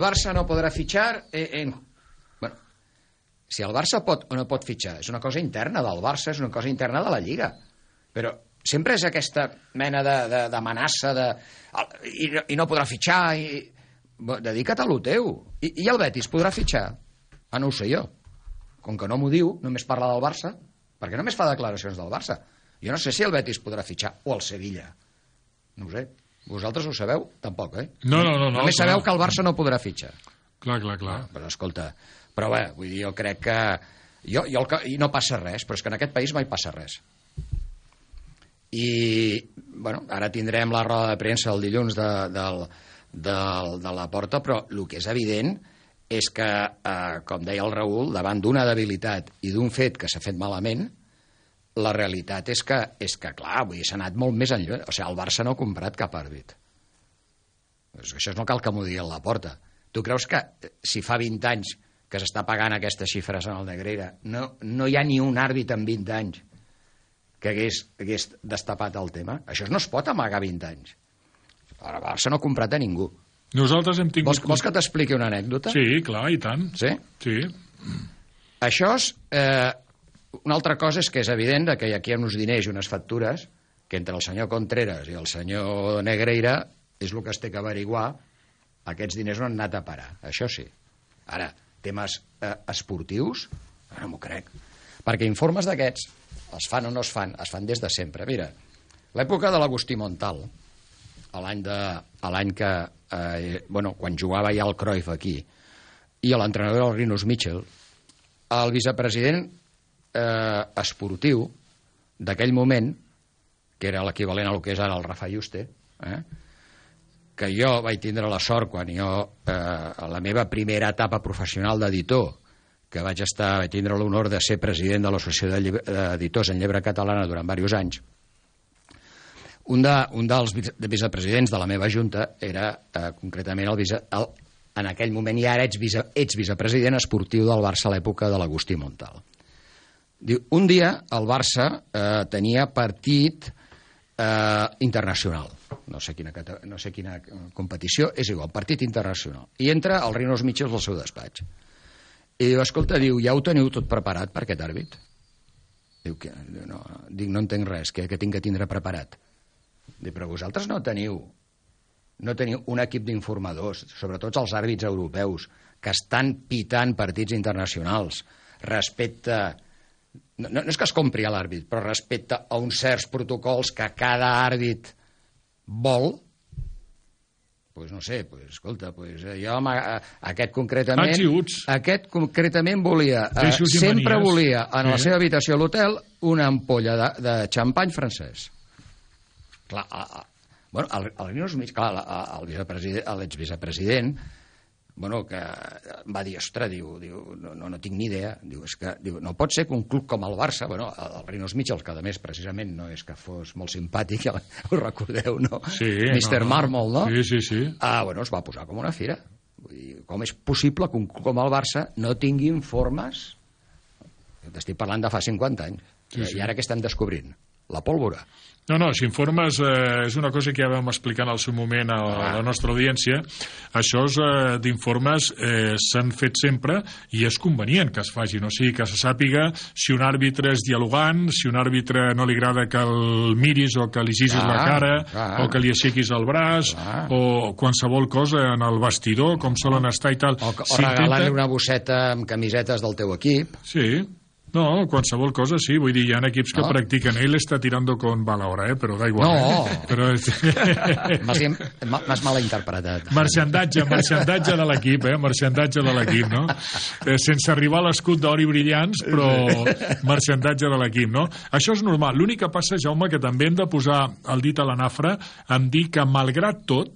Barça no podrà fitxar Bueno, si el Barça pot o no pot fitxar és una cosa interna del Barça, és una cosa interna de la Lliga, però sempre és aquesta mena d'amenaça i no podrà fitxar dedica't a lo teu. I el Betis podrà fitxar? No ho sé jo, com que no m'ho diu, només parla del Barça, perquè només fa declaracions del Barça. Jo no sé si el Betis podrà fitxar o el Sevilla, no ho sé. Vosaltres ho sabeu? Tampoc, No. Només sabeu que el Barça no podrà fitxar. Clar. Però escolta, vull dir, jo crec que i no passa res, però és que en aquest país mai passa res. I, bueno, ara tindrem la roda de premsa el dilluns de la Porta, però el que és evident és que, com deia el Raül, davant d'una debilitat i d'un fet que s'ha fet malament, la realitat és que clar, vull dir, s'ha anat molt més enllà. O sigui, el Barça no ha comprat cap àrbit. Això no cal que m'ho digui a la Porta. Tu creus que si fa 20 anys que s'està pagant aquestes xifres en el Negreira, no hi ha ni un àrbit en 20 anys que hagués destapat el tema? Això no es pot amagar 20 anys. El Barça no ha comprat a ningú. Nosaltres hem tingut... Vols que t'expliqui una anècdota? Sí, clar, i tant. Sí? Sí. Això és... Una altra cosa és que és evident que aquí hi ha uns diners i unes factures que entre el senyor Contreras i el senyor Negreira és el que es té que averiguar. Aquests diners no han anat a parar, això sí. Ara, temes esportius, no m'ho crec. Perquè informes d'aquests es fan o no es fan des de sempre. Mira, l'època de l'Agustí Montal, l'any que... quan jugava ja el Cruyff aquí, i l'entrenador el Rinus Michel, el vicepresident esportiu d'aquell moment, que era l'equivalent a lo que és ara el Rafa Yuste, que jo vaig tindre la sort quan a la meva primera etapa professional d'editor, que vaig tindre l'honor de ser president de l'Associació d'Editors en Llebre Catalana durant diversos anys. Un dels vicepresidents de la meva junta era concretament en aquell moment, i ara ets vicepresident esportiu del Barça a l'època de l'Agustí Montal. Diu, un dia el Barça tenia partit internacional, no sé quina competició, és igual, partit internacional, i entra el Rinus Michel al seu despatx i diu, escolta, ja ho teniu tot preparat per aquest àrbit? Diu, no entenc res, què tinc que tindre preparat? Diu, però vosaltres no teniu un equip d'informadors, sobretot els àrbits europeus, que estan pitant partits internacionals respecte... No és que es compri a l'àrbit, però respecte a uns certs protocols que cada àrbit vol, doncs no sé, escolta, jo aquest concretament volia, sempre volia en la seva habitació a l'hotel una ampolla de xampany francès. Clar, l'exvicepresident, que va dir, ostres, no tinc ni idea, no pot ser que un club com el Barça, el Rinus Michel, que a més precisament no és que fos molt simpàtic, ja ho recordeu, no? Sí. Mr. Marmol, no? Sí. Es va posar com una fira. Com és possible que un club com el Barça no tingui informes? T'estic parlant de fa 50 anys. I ara què estem descobrint? La pólvora. No, si informes és una cosa que ja vam explicar en el seu moment a la nostra audiència. Això d'informes s'han fet sempre i és convenient que es facin, o sigui, que se sàpiga si un àrbitre és dialogant, si un àrbitre no li agrada que el miris o que li gisis la cara o que li aixequis el braç o qualsevol cosa en el vestidor, com solen estar i tal. O regalar-li una bosseta amb camisetes del teu equip. Sí. No, qualsevol cosa, sí. Vull dir, hi ha equips que practiquen. Ell està tirando con bala ahora, però da igual. No. Però... M'has malinterpretat. Marxandatge de l'equip, marxandatge de l'equip, no? Sense arribar a l'escut d'or i brillants, però marxandatge de l'equip, no? Això és normal. L'únic que passa, Jaume, que també hem de posar el dit a la nafra en dir que, malgrat tot,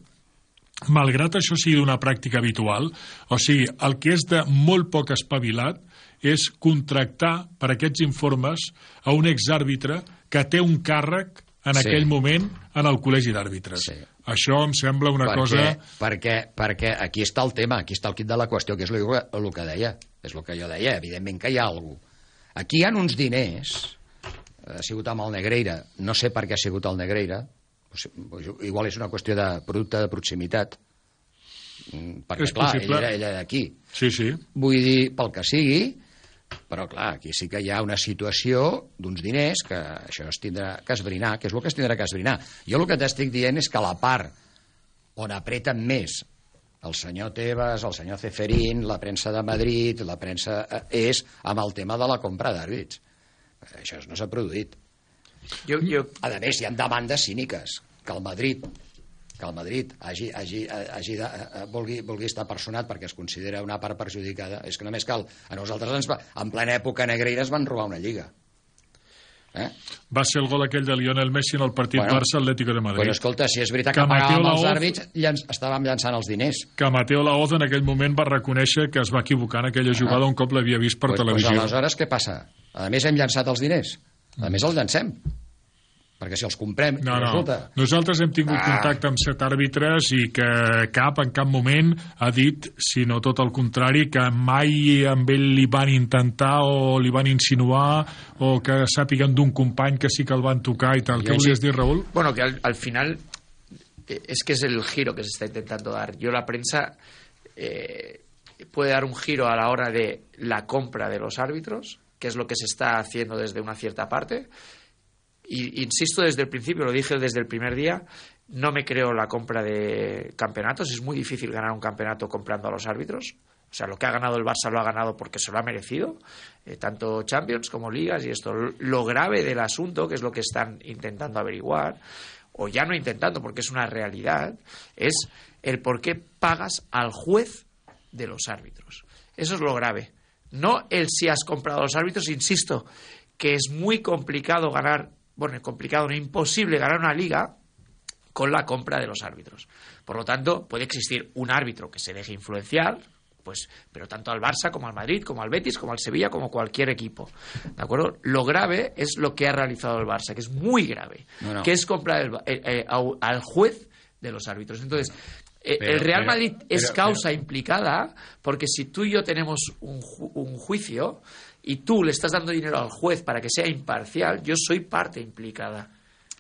malgrat això sigui una pràctica habitual, o sigui, el que és de molt poc espavilat és contractar per aquests informes a un exàrbitre que té un càrrec en aquell moment en el col·legi d'àrbitres. Això em sembla una cosa... Perquè aquí està el tema, aquí està el quid de la qüestió, que és el que deia. És el que jo deia, evidentment que hi ha alguna cosa. Aquí hi ha uns diners, ha sigut amb el Negreira, no sé per què ha sigut el Negreira, igual és una qüestió de producte de proximitat, perquè, clar, ell era d'aquí. Sí. Vull dir, pel que sigui, però, clar, aquí sí que hi ha una situació d'uns diners que això es tindrà que esbrinar, que és el que es tindrà que esbrinar. Jo el que t'estic dient és que la part on apreten més el senyor Tebas, el senyor Ceferín, la premsa de Madrid, la premsa és amb el tema de la compra d'àrbits. Això no s'ha produït. A més, hi ha demandes cíniques que el Madrid vulgui estar personat perquè es considera una part perjudicada. És que només cal. A nosaltres, en plena època negreira, es van robar una lliga. Va ser el gol aquell de Lionel Messi en el partit Barça-Atlético de Madrid. Però escolta, si és veritat que pagàvem els àrbits, estàvem llançant els diners. Que Mateo Laoz en aquell moment va reconèixer que es va equivocar en aquella jugada un cop l'havia vist per televisió. Aleshores, què passa? A més, hem llançat els diners. A més, els llancem. Perquè si els comprem... Resulta... Nosaltres hem tingut contacte amb 7 àrbitres i que en cap moment ha dit, sinó tot el contrari, que mai amb ell li van intentar o li van insinuar o que sàpiguen d'un company que sí que el van tocar i tal. ¿Qué volies dir, Raúl? Bueno, que al final es que es el giro que se está intentando dar. La prensa puede dar un giro a la hora de la compra de los árbitros, que es lo que se está haciendo desde una cierta parte. Y insisto desde el principio, lo dije desde el primer día, no me creo la compra de campeonatos. Es muy difícil ganar un campeonato comprando a los árbitros. O sea, lo que ha ganado el Barça lo ha ganado porque se lo ha merecido, tanto Champions como Ligas. Y esto, lo grave del asunto, que es lo que están intentando averiguar, o ya no intentando porque es una realidad, es el por qué pagas al juez de los árbitros. Eso es lo grave. No el si has comprado a los árbitros, insisto, que es muy complicado ganar. Bueno, complicado, no, imposible ganar una liga con la compra de los árbitros. Por lo tanto, puede existir un árbitro que se deje influenciar, pues, pero tanto al Barça como al Madrid, como al Betis, como al Sevilla, como cualquier equipo. ¿De acuerdo? Lo grave es lo que ha realizado el Barça, que es muy grave, que es comprar al juez de los árbitros. Entonces, el Real Madrid es causa implicada, porque si tú y yo tenemos un juicio y tú le estás dando dinero al juez para que sea imparcial, yo soy parte implicada.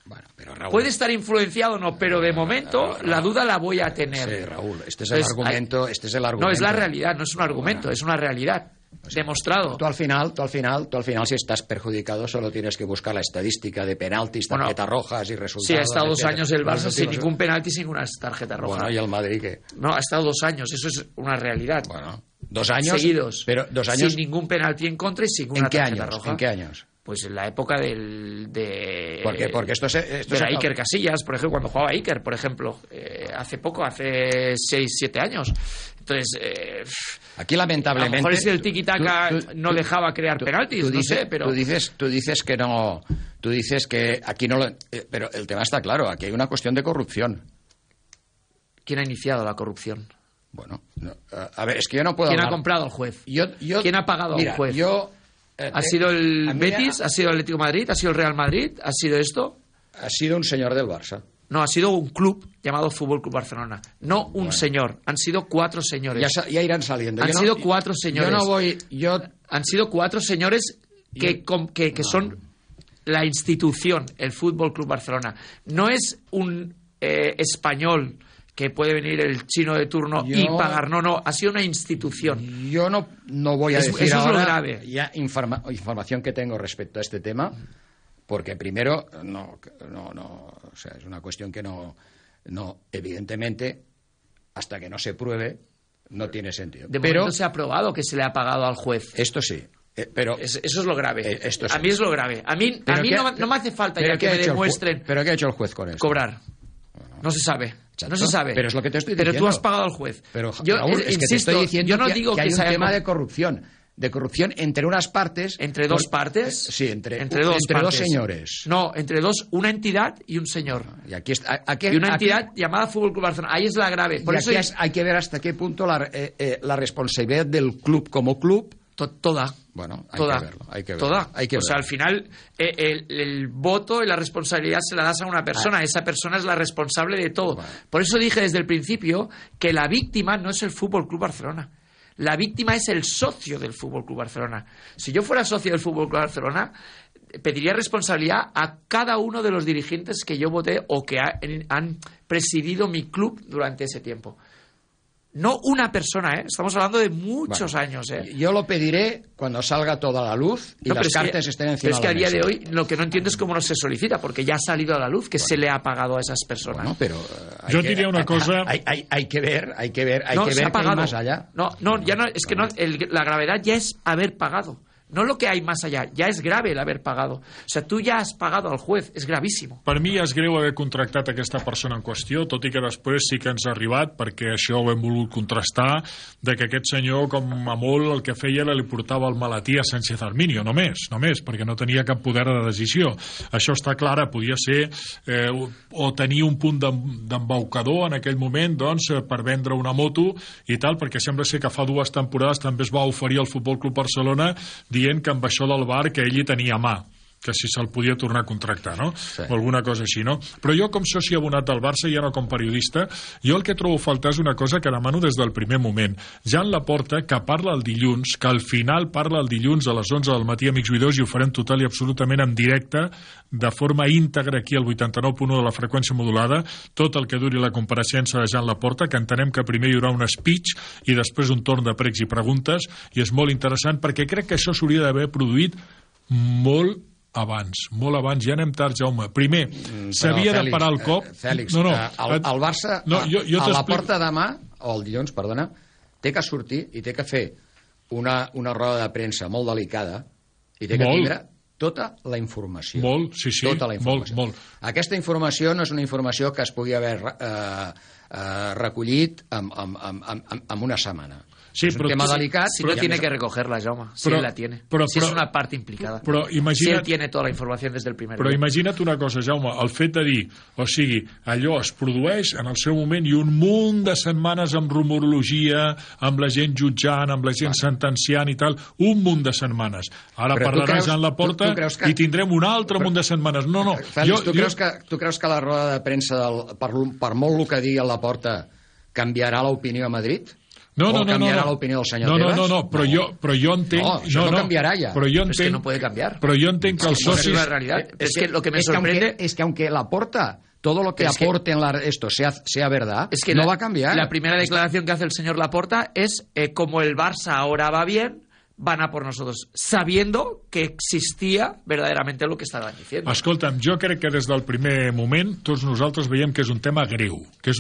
Bueno, pero Raúl, puede estar influenciado o no, pero de momento Raúl, la duda la voy a tener. Sí, Raúl, este es el argumento. No, es la realidad, no es un argumento, es una realidad. Demostrado. Tú al final, si estás perjudicado, solo tienes que buscar la estadística de penaltis, tarjetas rojas y resultados. Sí, ha estado 2 años el Barça sin ningún penalti, sin ninguna tarjeta roja. Bueno, ¿y el Madrid qué? No, ha estado 2 años, eso es una realidad. Bueno, 2 años seguidos, pero 2 años sin ningún penalti en contra y sin ninguna tarjeta roja. ¿En qué años? Pues en la época porque esto era Iker Casillas, por ejemplo, cuando jugaba Iker, por ejemplo, hace 6-7 años. Entonces, aquí lamentablemente, a lo mejor es el tiki-taka no dejaba crear penaltis, no sé, pero tú dices que no, tú dices que aquí no lo, pero el tema está claro, aquí hay una cuestión de corrupción. ¿Quién ha iniciado la corrupción? Bueno, no, a ver, es que yo no puedo ¿Quién hablar. ha comprado al juez? ¿Quién ha pagado al juez? ¿Ha sido el Betis? ¿Ha sido el Atlético de Madrid? ¿Ha sido el Real Madrid? ¿Ha sido esto? Ha sido un señor del Barça. No, ha sido un club llamado Fútbol Club Barcelona. No un señor. Han sido 4 señores. Ya irán saliendo. Han sido 4 señores. Han sido 4 señores que son la institución, el Fútbol Club Barcelona. No es un español que puede venir el chino de turno y pagar. No, ha sido una institución. Yo no voy a decir eso ahora es lo grave. Ya información que tengo respecto a este tema, porque primero o sea, es una cuestión que no evidentemente, hasta que no se pruebe, no tiene sentido. De momento se ha probado que se le ha pagado al juez. Esto sí. Pero eso es lo grave. Esto sí. A mí es lo grave. A mí no me hace falta ya que me demuestren. ¿Pero qué ha hecho el juez con esto? Cobrar. No se sabe. No se sabe. Pero es lo que te estoy diciendo. Pero tú has pagado al juez. Pero Raúl, es que te estoy diciendo yo no digo que hay un tema de corrupción entre unas partes. ¿Entre dos partes? Sí, entre dos señores. No, entre dos, una entidad y un señor. Y aquí y una entidad llamada Fútbol Club Barcelona. Ahí es la grave. Por eso hay que ver hasta qué punto la responsabilidad del club como club. Toda. Bueno, hay que verlo. Toda. O sea, al final el voto y la responsabilidad se la das a una persona. Esa persona es la responsable de todo. Bueno. Por eso dije desde el principio que la víctima no es el Fútbol Club Barcelona. La víctima es el socio del Fútbol Club Barcelona. Si yo fuera socio del Fútbol Club Barcelona, pediría responsabilidad a cada uno de los dirigentes que yo voté o que han presidido mi club durante ese tiempo. No una persona, estamos hablando de muchos años. Yo lo pediré cuando salga toda la luz y las cartas estén encima de la mesa. Pero es que a día de hoy lo que no entiendo es cómo no se solicita, porque ya ha salido a la luz que se le ha pagado a esas personas. Bueno, pero yo diría una cosa... Hay que ver qué hay más allá. Es que la gravedad ya es haber pagado. No lo que hay más allá, ja és grave l'haver pagat. O sigui, tu ja has pagat al juez, és gravíssim. Per mi és greu haver contractat aquesta persona en qüestió, tot i que després sí que ens ha arribat, perquè això ho hem volgut contrastar, de que aquest senyor, com a molt, el que feia era li portava el maletí a Sánchez Arminio, només, perquè no tenia cap poder de decisió. Això està clar, podia ser o tenir un punt d'embaucador en aquell moment, doncs, per vendre una moto i tal, perquè sembla ser que fa 2 temporades també es va oferir al Futbol Club Barcelona dient que amb això del VAR que ell hi tenia mà, que si se'l podia tornar a contractar, no? Sí. O alguna cosa així, no? Però jo, com soci abonat del Barça, ja no com periodista, jo el que trobo a faltar és una cosa que demano des del primer moment. Jan Laporta, que parla el dilluns, que al final parla el dilluns a les 11 del matí, amics oïdors, i ho farem total i absolutament en directe, de forma íntegra aquí al 89.1 de la freqüència modulada, tot el que duri la compareixença de Jan Laporta, que entenem que primer hi haurà un speech i després un torn de pregs i preguntes, i és molt interessant perquè crec que això s'hauria d'haver produït molt abans, ja anem tard, Jaume. Primer, s'havia de parar el cop... Fèlix, el Barça a la porta demà, o el dilluns, perdona, té que sortir i té que fer una roda de premsa molt delicada i té que tindre tota la informació. Tota la informació. Molt. Aquesta informació no és una informació que es pugui haver recollit en una setmana. Sí, es un tema delicat. Si no tiene que recogerla, Jaume. Si él la tiene. Si es una parte implicada. Si él tiene toda la información desde el primer dia. Però imagina't una cosa, Jaume, el fet de dir, o sigui, allò es produeix en el seu moment i un munt de setmanes amb rumorologia, amb la gent jutjant, amb la gent sentenciant i tal, un munt de setmanes. Ara parlarà Jan Laporta i tindrem un altre munt de setmanes. No. Fèlix, tu creus que la roda de premsa, per molt el que digui a Laporta, canviarà l'opinió a Madrid? No, canviarà l'opinió del senyor Tebas? No, però jo entenc... No, això no canviarà ja. Es que no puede cambiar. Però jo entenc que els socis... Es la realidad. Es que lo que me sorprende... Es que aunque Laporta, todo lo que aporte en esto sea verdad, es que no va a cambiar. La primera declaración que hace el señor Laporta es como el Barça ahora va bien, van a por nosotros, sabiendo que existia verdaderamente lo que estaven diciendo. Escolta'm, jo crec que des del primer moment tots nosaltres veiem que és un tema greu, que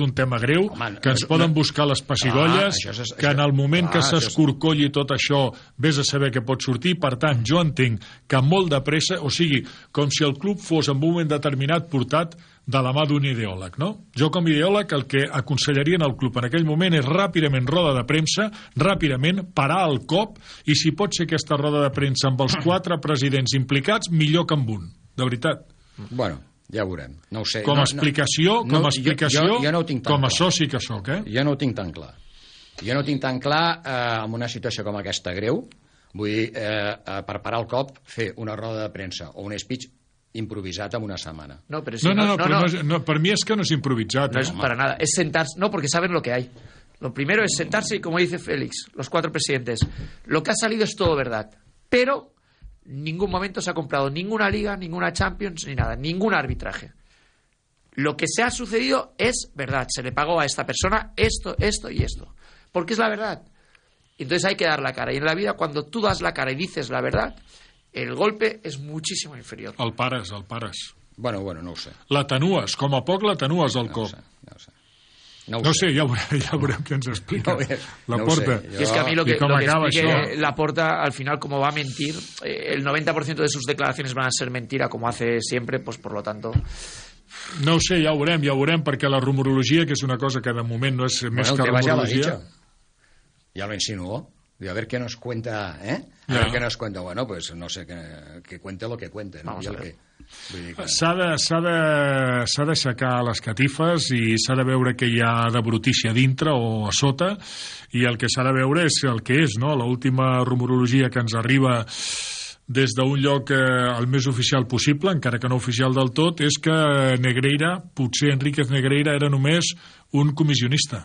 ens poden buscar les pessigolles, que en el moment que s'escorcolli tot això vés a saber què pot sortir. Per tant, jo entenc que molt de pressa, o sigui, com si el club fos en un moment determinat portat de la mà d'un ideòleg, no? Jo com a ideòleg el que aconsellaria en el club en aquell moment és ràpidament roda de premsa, ràpidament parar el cop, i si pot ser aquesta roda de premsa amb els 4 presidents implicats, millor que amb un, de veritat. Bueno, ja ho veurem, no ho sé. Com a explicació, jo no ho tinc tan com a soci que sóc, Jo no ho tinc tan clar. Jo no ho tinc tan clar en una situació com aquesta greu, vull dir, per parar el cop, fer una roda de premsa o un speech improvisat en una semana. No, per mi es que no es improvisat. No es para nada, es sentarse, no, porque saben lo que hay. Lo primero es sentarse y, como dice Félix, los 4 presidentes, lo que ha salido es todo verdad, pero en ningún momento se ha comprado ninguna liga, ninguna Champions, ni nada, ningún arbitraje. Lo que se ha sucedido es verdad, se le pagó a esta persona esto y esto, porque es la verdad. Entonces hay que dar la cara, y en la vida, cuando tú das la cara y dices la verdad, el golpe és muchísimo inferior. El pares. Bueno, no ho sé. L'atenues, com a poc l'atenues al cop. No ho sé, ja veurem què ens explica. Laporta. Y es que a mí lo que explique Laporta, al final, como va a mentir, el 90% de sus declaraciones van a ser mentira, como hace siempre, pues por lo tanto... No ho sé, ja ho veurem, perquè la rumorologia, que és una cosa que de moment no és més que rumorologia... Ja lo insinuó. A ver qué nos cuenta, A ver qué nos cuenta. Bueno, pues no sé, que cuente lo que cuente, ¿no? S'ha d'aixecar les catifes i s'ha de veure què hi ha de brutícia dintre o a sota, i el que s'ha de veure és el que és, no? L'última rumorologia que ens arriba des d'un lloc el més oficial possible, encara que no oficial del tot, és que Negreira, potser Enríquez Negreira, era només un comissionista.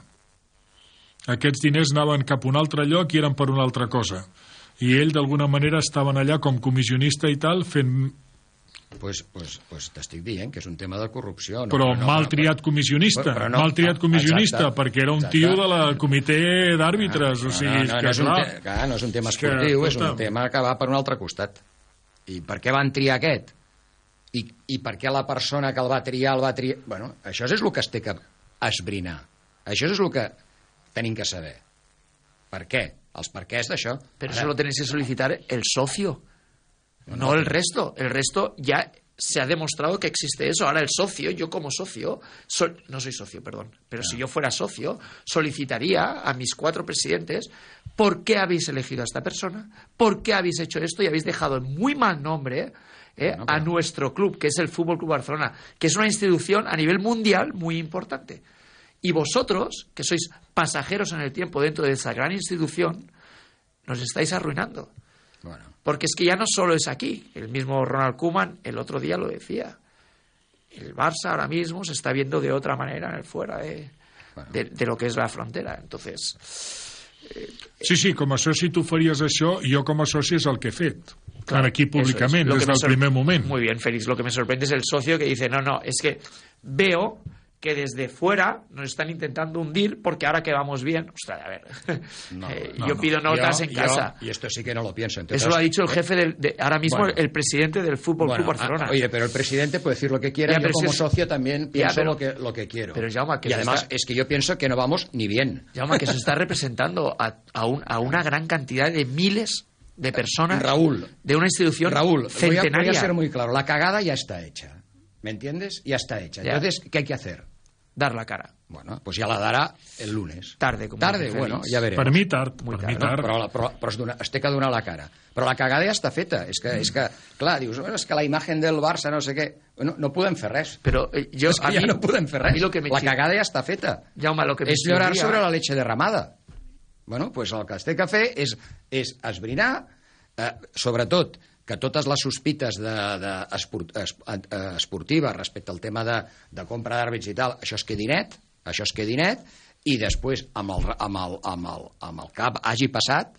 Aquests diners anaven cap a un altre lloc i eren per una altra cosa, i ell d'alguna manera estaven allà com comissionista i tal, fent Pues t'estic dient que és un tema de corrupció. No, però mal triat comissionista, mal triat comissionista, perquè era un tio de la comitè d'àrbitres, o sigui, no és un tema esportiu, és un tema que va per un altre costat. I per què van triar aquest? I per què la persona que el va triar... Bueno, això és el que es té que esbrinar. Això és el que tenim que saber. ¿Per qué? Els perquès d'això. Pero eso lo tenéis que solicitar el socio, no el resto. El resto ya se ha demostrado que existe eso. Ahora el socio, yo como socio, no soy socio, perdón, pero si yo fuera socio, solicitaría a mis 4 presidentes ¿por qué habéis elegido a esta persona? ¿Por qué habéis hecho esto? Y habéis dejado en muy mal nombre a nuestro club, que es el Fútbol Club Barcelona, que es una institución a nivel mundial muy importante. Y vosotros, que sois pasajeros en el tiempo dentro de esa gran institución, nos estáis arruinando. Bueno. Porque es que ya no solo es aquí. El mismo Ronald Koeman el otro día lo decía. El Barça ahora mismo se está viendo de otra manera en el fuera de lo que es la frontera. Entonces... Sí, com a soci tu faries això, i jo com a soci és el que he fet. Claro, aquí públicament, des del primer moment. Muy bien, Félix, lo que me sorprende es el socio que dice, no, es que veo que desde fuera nos están intentando hundir porque ahora que vamos bien... Ostras, a ver, yo pido notas en casa. Y esto sí que no lo pienso. Entonces, eso lo ha dicho el jefe ahora mismo, el presidente del Fútbol Club Barcelona. Oye, pero el presidente puede decir lo que quiera, yo como socio también pienso lo que quiero. Pero Jaume, que y además es que yo pienso que no vamos ni bien. Jaume, que se está representando a una gran cantidad de miles de personas, Raúl, de una institución centenaria. Voy a ser muy claro, la cagada ya está hecha. ¿Me entiendes? Ya está hecha. Ya. Entonces, ¿qué hay que hacer? Dar la cara. Bueno, pues ja la darà el lunes. Tarde, bueno, ja verem. Per mi tard. Però es té que donar la cara. Però la cagada ja està feta. És que clar, dius, és que la imagen del Barça no sé què... No podem fer res. Però és que ja no podem fer res. La cagada ja està feta. Jaume, és llorar sobre la leche derramada. Bueno, pues el que es té que fer és esbrinar, sobretot, que totes les sospites esportives respecte al tema de compra d'àrbits i tal, això es quedi net, i després, amb el cap hagi passat,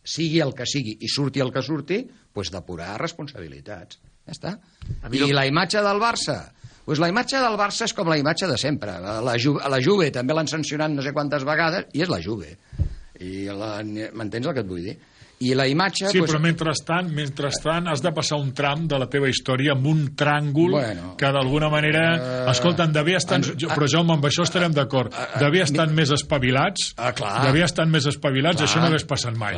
sigui el que sigui i surti el que surti, doncs depurar responsabilitats. Ja està. I la imatge del Barça? Doncs la imatge del Barça és com la imatge de sempre. La Juve també l'han sancionat no sé quantes vegades, i és la Juve. M'entens el que et vull dir? I la imatge... Sí, però mentrestant has de passar un tram de la teva història amb un tràngol que d'alguna manera... Escolta'm, però Jaume, amb això estarem d'acord. D'haver estat més espavilats, això no hagués passat mai.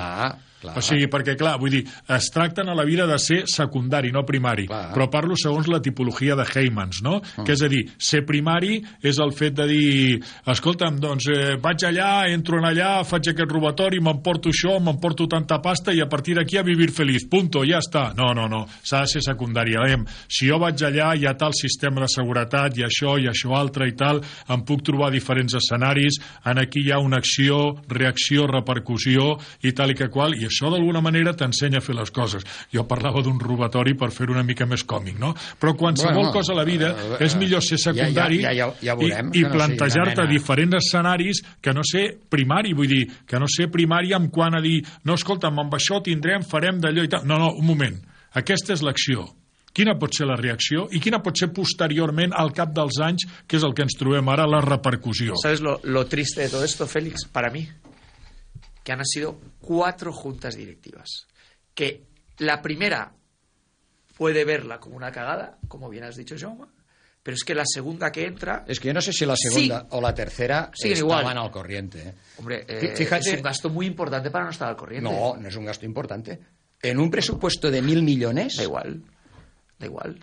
O sigui, perquè, clar, vull dir, es tracten a la vida de ser secundari, no primari, però parlo segons la tipologia de Heymans, no? Que és a dir, ser primari és el fet de dir, escolta'm, doncs vaig allà, entro allà, faig aquest robatori, m'emporto això, m'emporto tanta pasta i a partir d'aquí a vivir feliç, punto, ja està. No, s'ha de ser secundari. Si jo vaig allà, hi ha tal sistema de seguretat, i això altre i tal, em puc trobar diferents escenaris, aquí hi ha una acció, reacció, repercussió i tal i que qual, i això d'alguna manera t'ensenya a fer les coses. Jo parlava d'un robatori per fer-ho una mica més còmic, no? Però qualsevol cosa a la vida és millor ser secundari i plantejar-te diferents escenaris que no ser primari, vull dir, que no ser primari en quant a dir, no, escolta'm, amb això tindrem, farem d'allò i tal. No, un moment. Aquesta és l'acció. Quina pot ser la reacció i quina pot ser posteriorment al cap dels anys, que és el que ens trobem ara, la repercussió. ¿Sabes lo triste de todo esto, Félix? Para mí, que han sido 4 juntas directivas. Que la primera puede verla como una cagada, como bien has dicho, Jaume, pero es que la segunda que entra... Es que yo no sé si la segunda o la tercera estaban al corriente. Hombre, fíjate, es un gasto muy importante para no estar al corriente. No es un gasto importante. En un presupuesto de 1.000 millones... Da igual.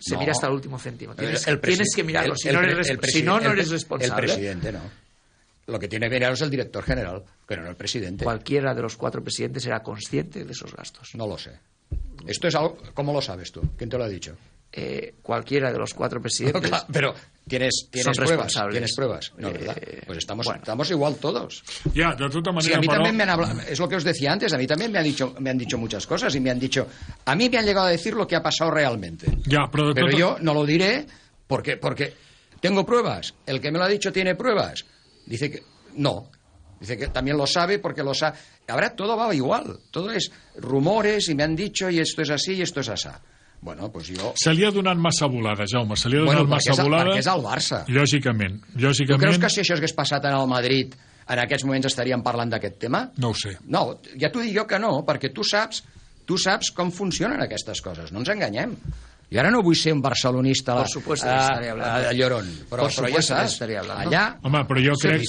Se mira hasta el último céntimo. Tienes que mirarlo. Si no eres responsable. El presidente no. Lo que tiene que mirar es el director general, pero no el presidente. Cualquiera de los 4 presidentes era consciente de esos gastos. No lo sé. Esto es algo... ¿Cómo lo sabes tú? ¿Quién te lo ha dicho? Cualquiera de los 4 presidentes... No, claro, pero ¿tienes pruebas? ¿Tienes pruebas? No, ¿verdad? Pues estamos igual todos. Ya, de toda manera... Sí, a mí también me han hablado... Es lo que os decía antes. A mí también me han dicho muchas cosas y me han dicho... A mí me han llegado a decir lo que ha pasado realmente. Ya, pero yo no lo diré porque tengo pruebas. El que me lo ha dicho tiene pruebas. Dice que no. Dice que también lo sabe porque lo sabe. Ahora todo va igual. Todo es rumores y me han dicho y esto es así y esto es así. Bueno, doncs jo... Se li ha donat massa volada, Jaume, se li ha donat massa volada. Perquè és el Barça. Lògicament. Tu creus que si això hagués passat en el Madrid, en aquests moments estaríem parlant d'aquest tema? No ho sé. No, ja t'ho dic jo que no, perquè tu saps com funcionen aquestes coses, no ens enganyem. Jo ara no vull ser un barcelonista a llorón, però ja saps, allà... Home, però jo crec,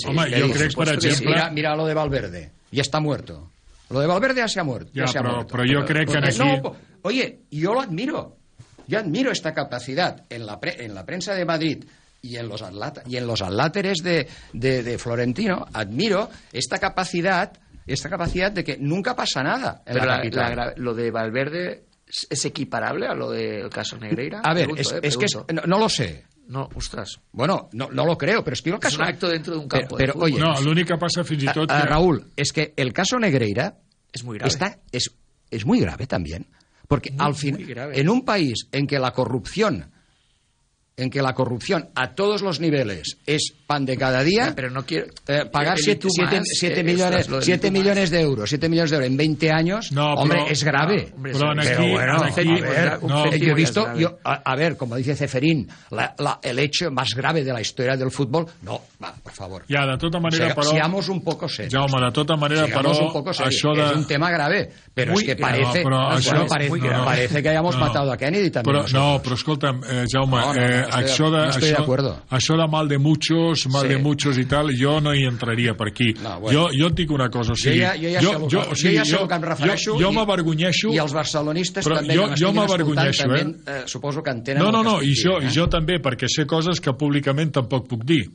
per exemple... Mira lo de Valverde, ja està muerto. Lo de Valverde ja se ha muerto. Però jo crec que aquí... Oye, yo lo admiro. Yo admiro esta capacidad en la prensa de Madrid y en los adláteres de Florentino. Admiro esta capacidad de que nunca pasa nada en la capital. Lo de Valverde es equiparable a lo del caso Negreira. A ver, es que no lo sé. No, ostras. Bueno, no lo creo, pero es que el caso... Es un acto dentro de un campo pero de fútbol. Oye, no, l'únic que passa fins i tot... Raúl, es que el caso Negreira es muy grave. Es muy grave también. Porque al final, en un país en que la corrupción a todos los niveles es pan de cada día, pero no quiero pagar 7 millones de euros en 20 años, es grave. Yo he visto, a ver, como dice Ceferín, el hecho más grave de la historia del fútbol, por favor. Ja, de tota manera, però... Seamos un poco serios. Jaume, de tota manera, però... Això es un tema grave, però és que parece que hayamos matado a Kennedy també. Però escolta'm, Jaume, això de mal de muchos i tal, jo no hi entraria per aquí. Jo et dic una cosa, o sigui... Jo ja sé que em refereixo jo m'avergonyeixo... I els barcelonistes també jo m'avergonyeixo, suposo que entenen... No, i jo també, perquè sé coses que públicament tampoc puc dir,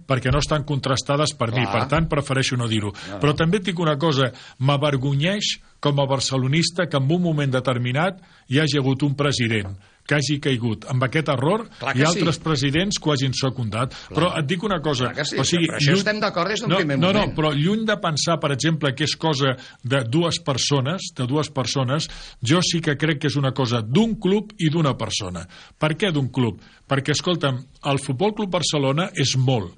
perquè no estan contrastades per mi, per tant prefereixo no dir-ho. Però també et dic una cosa, m'avergonyeix com a barcelonista que en un moment determinat hi hagi hagut un president que hagi caigut amb aquest error i altres presidents que ho hagin secundat. Però et dic una cosa... O sigui, això estem d'acord des d'un primer moment. No, però lluny de pensar, per exemple, que és cosa de dues persones, jo sí que crec que és una cosa d'un club i d'una persona. Per què d'un club? Perquè, escolta'm, el Futbol Club Barcelona és molt,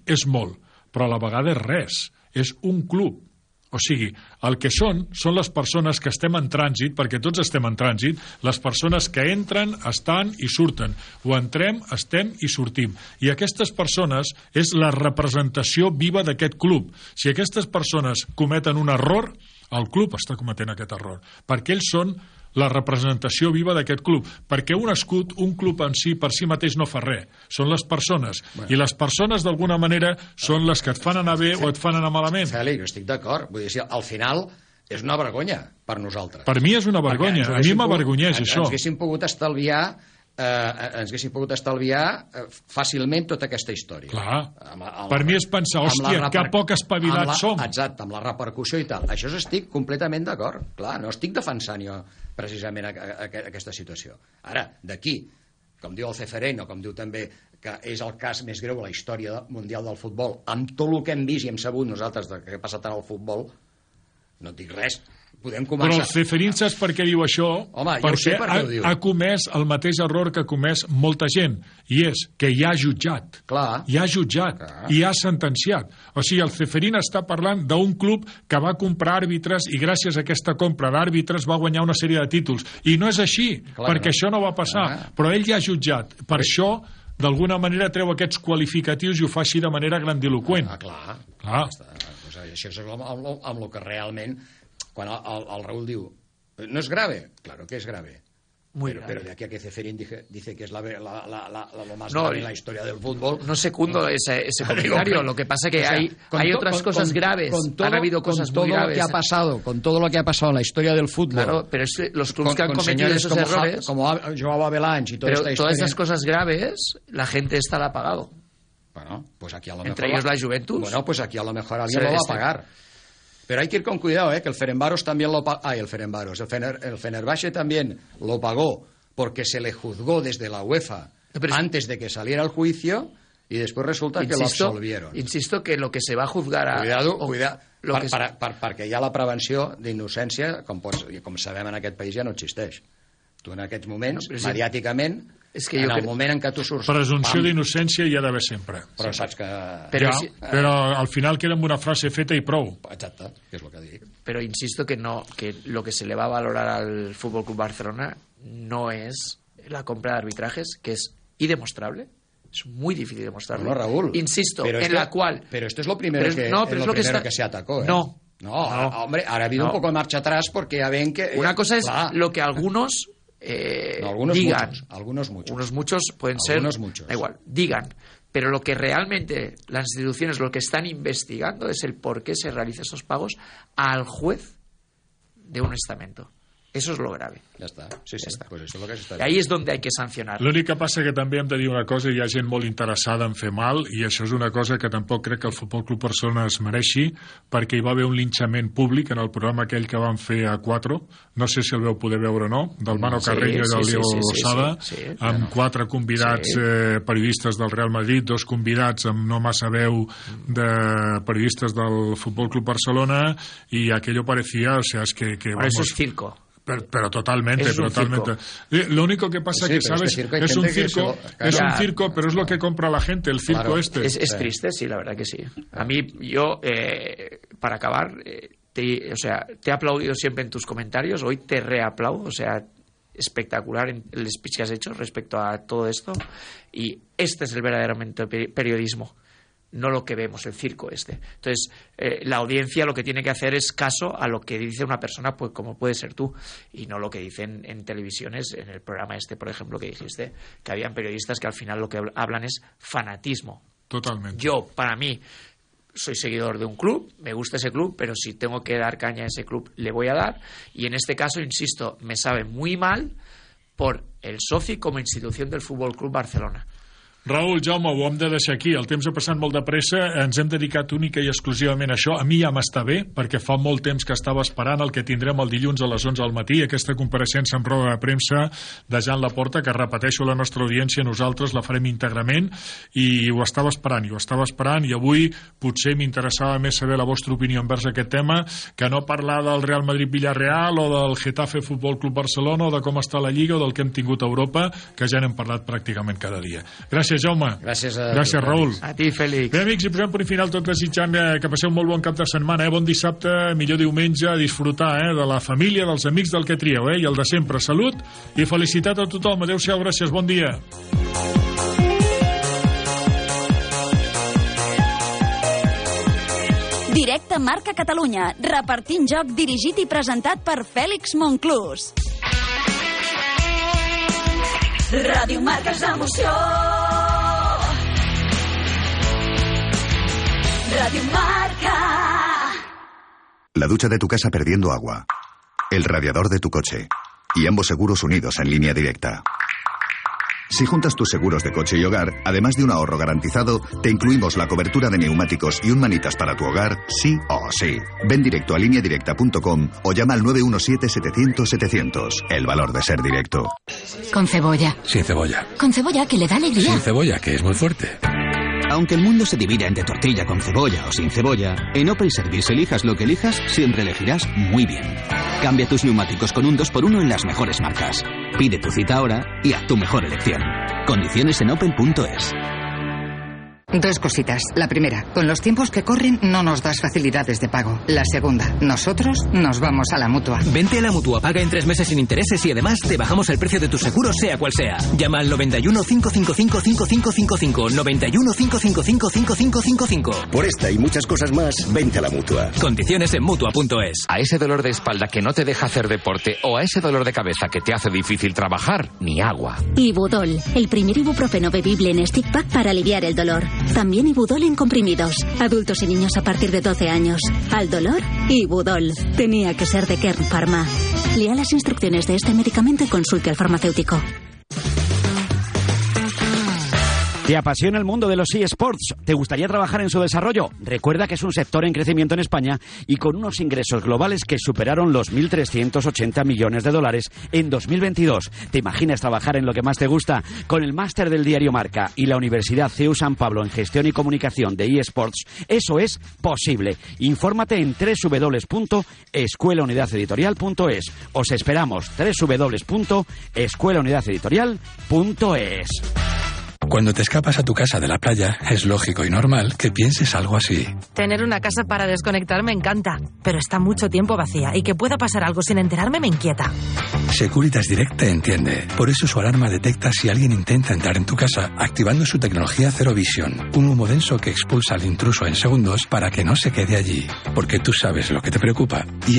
però a la vegada és res. És un club. O sigui, el que són les persones que estem en trànsit, perquè tots estem en trànsit, les persones que entren, estan i surten. O entrem, estem i sortim. I aquestes persones és la representació viva d'aquest club. Si aquestes persones cometen un error, el club està cometent aquest error. Perquè ells són la representació viva d'aquest club, perquè un escut, un club en si, per si mateix no fa res, són les persones, i les persones d'alguna manera són les que et fan anar bé o et fan anar malament. Fèlix, jo estic d'acord, vull dir, al final és una vergonya per nosaltres. Per mi és una vergonya, a mi m'avergonyeix això. Ens haguéssim pogut estalviar fàcilment tota aquesta història. Clar, per mi és pensar, hòstia, que poc espavilats som. Exacte, amb la repercussió i tal. Això estic completament d'acord. Clar, no estic defensant jo precisament aquesta situació. Ara, d'aquí, com diu el Ceferén, o com diu també que és el cas més greu a la història mundial del futbol, amb tot el que hem vist i hem sabut nosaltres del que ha passat en el futbol, no et dic res. Podem començar... Però el Ceferín saps per què diu això? Home, perquè ha comès el mateix error que ha comès molta gent, i és que hi ha jutjat. Clar. Hi ha jutjat, i ha sentenciat. O sigui, el Ceferín està parlant d'un club que va comprar àrbitres i gràcies a aquesta compra d'àrbitres va guanyar una sèrie de títols. I no és així, perquè això no va passar. Però ell ja ha jutjat. Per això, d'alguna manera, treu aquests qualificatius i ho fa així de manera grandiloqüent. Clar. Això és amb el que realment... Quan el Raúl diu, no es grave, claro que es grave. Pero de aquí a que Ceferín dice que es lo más grave en la historia del fútbol. No secundo ese comentario. Lo que pasa es que hay otras cosas graves. Han habido cosas muy graves. Con todo lo que ha pasado en la historia del fútbol. Claro, pero los clubes que han cometido esos errores. Como Joao Avalanche y toda esta historia. Todas esas cosas graves, la gente esta la ha pagado. Bueno, pues aquí a lo mejor. Entre ellos la Juventus. Bueno, pues aquí a lo mejor alguien lo va a pagar. Pero hay que ir con cuidado, que el Ferencváros también lo pagó. El Fenerbahce también lo pagó porque se le juzgó desde la UEFA antes de que saliera el juicio y después resulta que lo absolvieron. Insisto que lo que se va a juzgar a... Cuidado, perquè ja la prevenció d'innocència, com sabem en aquest país, ja no existeix. Tu en aquests moments, mediàticament... En el moment en què tu surts... Presumpció d'innocència hi ha d'haver sempre. Però saps que... Però al final queda amb una frase feta i prou. Exacte, que és el que dic. Pero insisto que lo que se le va a valorar al Fútbol Club Barcelona no es la compra de arbitrajes, que es irdemostrable. Es muy difícil demostrarlo. No, Raúl. Insisto, la cual... Pero esto es lo primero, que se atacó, ¿eh? No, hombre, ahora ha habido un poco de marcha atrás porque ya ven que... Una cosa es lo que algunos digan. Algunos muchos. Unos muchos pueden ser... Muchos. Da igual, digan. Pero lo que realmente las instituciones, lo que están investigando es el por qué se realizan esos pagos al juez de un estamento. Eso es lo grave. Ja està. Sí, està. Pues eso es lo que s'està I ahí és on hay que sancionar. L'únic que passa que també hem de dir una cosa, hi ha gent molt interessada en fer mal, i això és una cosa que tampoc crec que el Futbol Club Barcelona es mereixi, perquè hi va haver un linxament públic en el programa aquell que van fer a 4, no sé si el veu poder veure o no, del Mano Carreño i del Diego Losada, amb 4 convidats periodistes del Real Madrid, 2 convidats amb no massa veu de periodistes del Futbol Club Barcelona, y aquello parecía, o sea, es que vamos... Eso es circo. Pero totalmente. Lo único que pasa que, ¿sabes? Es un circo, pero es lo que compra la gente, el circo este. Es triste, sí, la verdad que sí. A mí, yo, para acabar, te he aplaudido siempre en tus comentarios, hoy te reaplaudo, o sea, espectacular el speech que has hecho respecto a todo esto, y este es el verdaderamente periodismo, no lo que vemos, el circo este. Entonces, la audiencia lo que tiene que hacer es caso a lo que dice una persona, pues como puede ser tú, y no lo que dicen en televisiones, en el programa este, por ejemplo, que dijiste, que habían periodistas que al final lo que hablan es fanatismo. Totalmente. Yo, para mí, soy seguidor de un club, me gusta ese club, pero si tengo que dar caña a ese club, le voy a dar, y en este caso, insisto, me sabe muy mal por el soci como institución del Futbol Club Barcelona. Raúl, Jaume, ho hem de deixar aquí. El temps ha passat molt de pressa. Ens hem dedicat única i exclusivament a això. A mi ja m'està bé, perquè fa molt temps que estava esperant el que tindrem el dilluns a les 11 del matí, aquesta compareixença en roda de premsa de Joan Laporta, que repeteixo a la nostra audiència, nosaltres la farem íntegrament, i ho estava esperant, i avui potser m'interessava més saber la vostra opinió envers aquest tema, que no parlar del Real Madrid-Villarreal o del Getafe Futbol Club Barcelona o de com està la Lliga o del que hem tingut a Europa, que ja n'hem parlat pràcticament cada dia. Gràcies, Jaume. Gràcies, Raül. A ti, Fèlix. Bé, amics, i posem per final tot desitjant que passeu un molt bon cap de setmana, bon dissabte, millor diumenge, a disfrutar de la família, dels amics del que trieu, i el de sempre, salut i felicitat a tothom. Adéu-siau, gràcies, bon dia. Directe Marca Catalunya, repartint joc dirigit i presentat per Fèlix Monclús. Ràdio Marca és emoció. Radio Marca. La ducha de tu casa perdiendo agua. El radiador de tu coche. Y ambos seguros unidos en línea directa. Si juntas tus seguros de coche y hogar, además de un ahorro garantizado, te incluimos la cobertura de neumáticos y un manitas para tu hogar, sí o sí. Ven directo a lineadirecta.com o llama al 917-700-700. El valor de ser directo. Con cebolla. Sin cebolla. Con cebolla, que le da alegría. Sin cebolla, que es muy fuerte. Aunque el mundo se divida entre tortilla con cebolla o sin cebolla, en Opel Service elijas lo que elijas, siempre elegirás muy bien. Cambia tus neumáticos con un 2x1 en las mejores marcas. Pide tu cita ahora y haz tu mejor elección. Condiciones en opel.es. Dos cositas. La primera, con los tiempos que corren no nos das facilidades de pago. La segunda, nosotros nos vamos a la Mutua. Vente a la Mutua, paga en 3 meses sin intereses y además te bajamos el precio de tu seguro sea cual sea. Llama al 91 555 5555. 91 555 5555. Por esta y muchas cosas más, vente a la Mutua. Condiciones en Mutua.es. A ese dolor de espalda que no te deja hacer deporte o a ese dolor de cabeza que te hace difícil trabajar, ni agua. Ibudol, el primer ibuprofeno bebible en stick pack para aliviar el dolor. También Ibudol en comprimidos. Adultos y niños a partir de 12 años. Al dolor, Ibudol. Tenía que ser de Kern Pharma. Lea las instrucciones de este medicamento y consulte al farmacéutico. ¿Te apasiona el mundo de los eSports? ¿Te gustaría trabajar en su desarrollo? Recuerda que es un sector en crecimiento en España y con unos ingresos globales que superaron los 1.380 millones de dólares en 2022. ¿Te imaginas trabajar en lo que más te gusta? Con el máster del diario Marca y la Universidad CEU San Pablo en Gestión y Comunicación de eSports, eso es posible. Infórmate en www.escuelaunidadeditorial.es. Os esperamos, www.escuelaunidadeditorial.es. Cuando te escapas a tu casa de la playa, es lógico y normal que pienses algo así. Tener una casa para desconectar me encanta, pero está mucho tiempo vacía y que pueda pasar algo sin enterarme me inquieta. Securitas Direct te entiende. Por eso su alarma detecta si alguien intenta entrar en tu casa, activando su tecnología Zero Vision, un humo denso que expulsa al intruso en segundos para que no se quede allí. Porque tú sabes lo que te preocupa y ellos